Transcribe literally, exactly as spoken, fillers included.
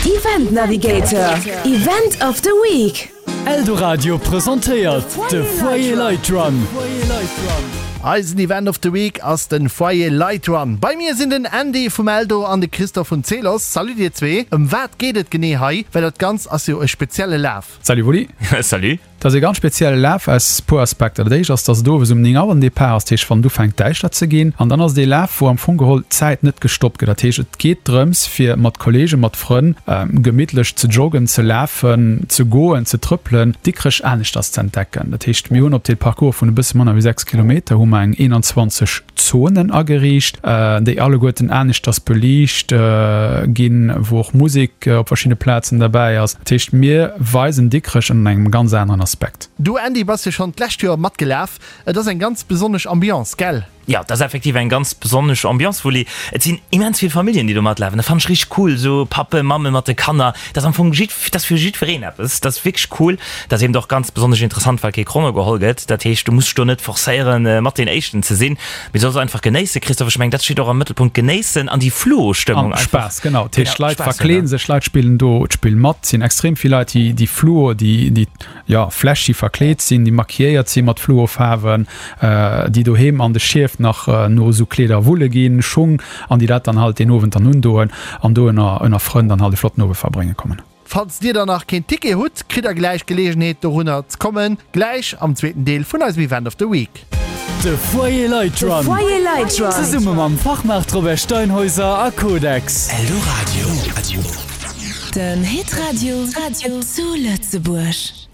Event Navigator, Event of the Week. Eldoradio presentéiert de Foyer Light Run. Eisen Event of the Week ass den Foyer Light Run. Bei mir sinn den Andy vum Eldo an de Christoph vun Zelos. Salut dir zwee. Ëm wat geet et genee hei? Well dat Ganzt ass jo e spezielle Laf. Salut Wulli. Salut. Dat ass e ganz spezielle Laf aus puer Aspekter. Dat éischt ass, dass et owes um néng Auer den Depart ass, dat heescht wann et ufänkt däischter ze ginn. An dann ass et ee Laf, wou am Fong geholl d'Zäit net gestoppt gëtt. Dat heescht, et geet drëms fir mat Kolleegen, mat Frënn gemittlech ze joggen, ze lafen, ze goen, ze trëppelen, Dikrech aneschters ze entdecken. Dat heescht, mir hunn op dee Parcours vun e bësse manner wéi sechs Kilometer hu mer eng eenanzwanzeg Zonen ageriicht, déi alleguerten aneschters beliicht ginn, wou och Musek op verschiddene Plazen derbäi ass. Dat heescht, mir weisen Dikrech ënner engem ganz aneren Aspekt. Du Andy bass jo schonn d'lescht Joer matgelaf. Et ass eng ganz besonnesch Ambiance, gell? Jo, et ass effektiv eng ganz besonnesch Ambiance, Wulli. Et sinn immens vill Familljen, déi do matlafen. Dat fannen ech richteg cool, esou Pappen, Mammen mat de Kanner. Dat ass am Fong jidd, dat ass fir jiddwereen eppes. Dat ass wierklech cool. Dat ass eben och ganz besonnesch interessant, well kee Chrono geholl gëtt. Dat heescht, du muss dech do net forcéieren, mat deen Éischten ze sinn, mee du solls einfach genéissen. Christophe, ech mengen, dat steet och am Mëttelpunkt, genéissen an déi Fluo-Stëmmung An einfach. Spaass, genau. Dat heescht, Genau, d'Leit Spaass hunn, verkleeden ja. sech, d'Leit spillen do d'Spill mat. Et sinn extrem vill Leit, déi, déi Fluo, déi, déi, jo, flashy verkleet sinn, déi maquilléiert si mat Fluofaarwen, déi doheem an de Schief nach no esou Kleeder wulle ginn, Schung, an déi dat dann halt deen Owend dann undoen an do ënner ënner Frënn dann halt e flotten Owend verbrénge kommen. Falls dir dann nach keen Ticket hutt, kritt der gläich Geleegenheet dorunner ze kommen, gläich am zweeten Deel vun eisem Event of the Week. De Foyer Light De Run. Foyer Light Run. Zesumme mam Fachmaart Robert Steinhäuser a Codex. Eldoradio. Den Hitradio zu Lëtzebuerg.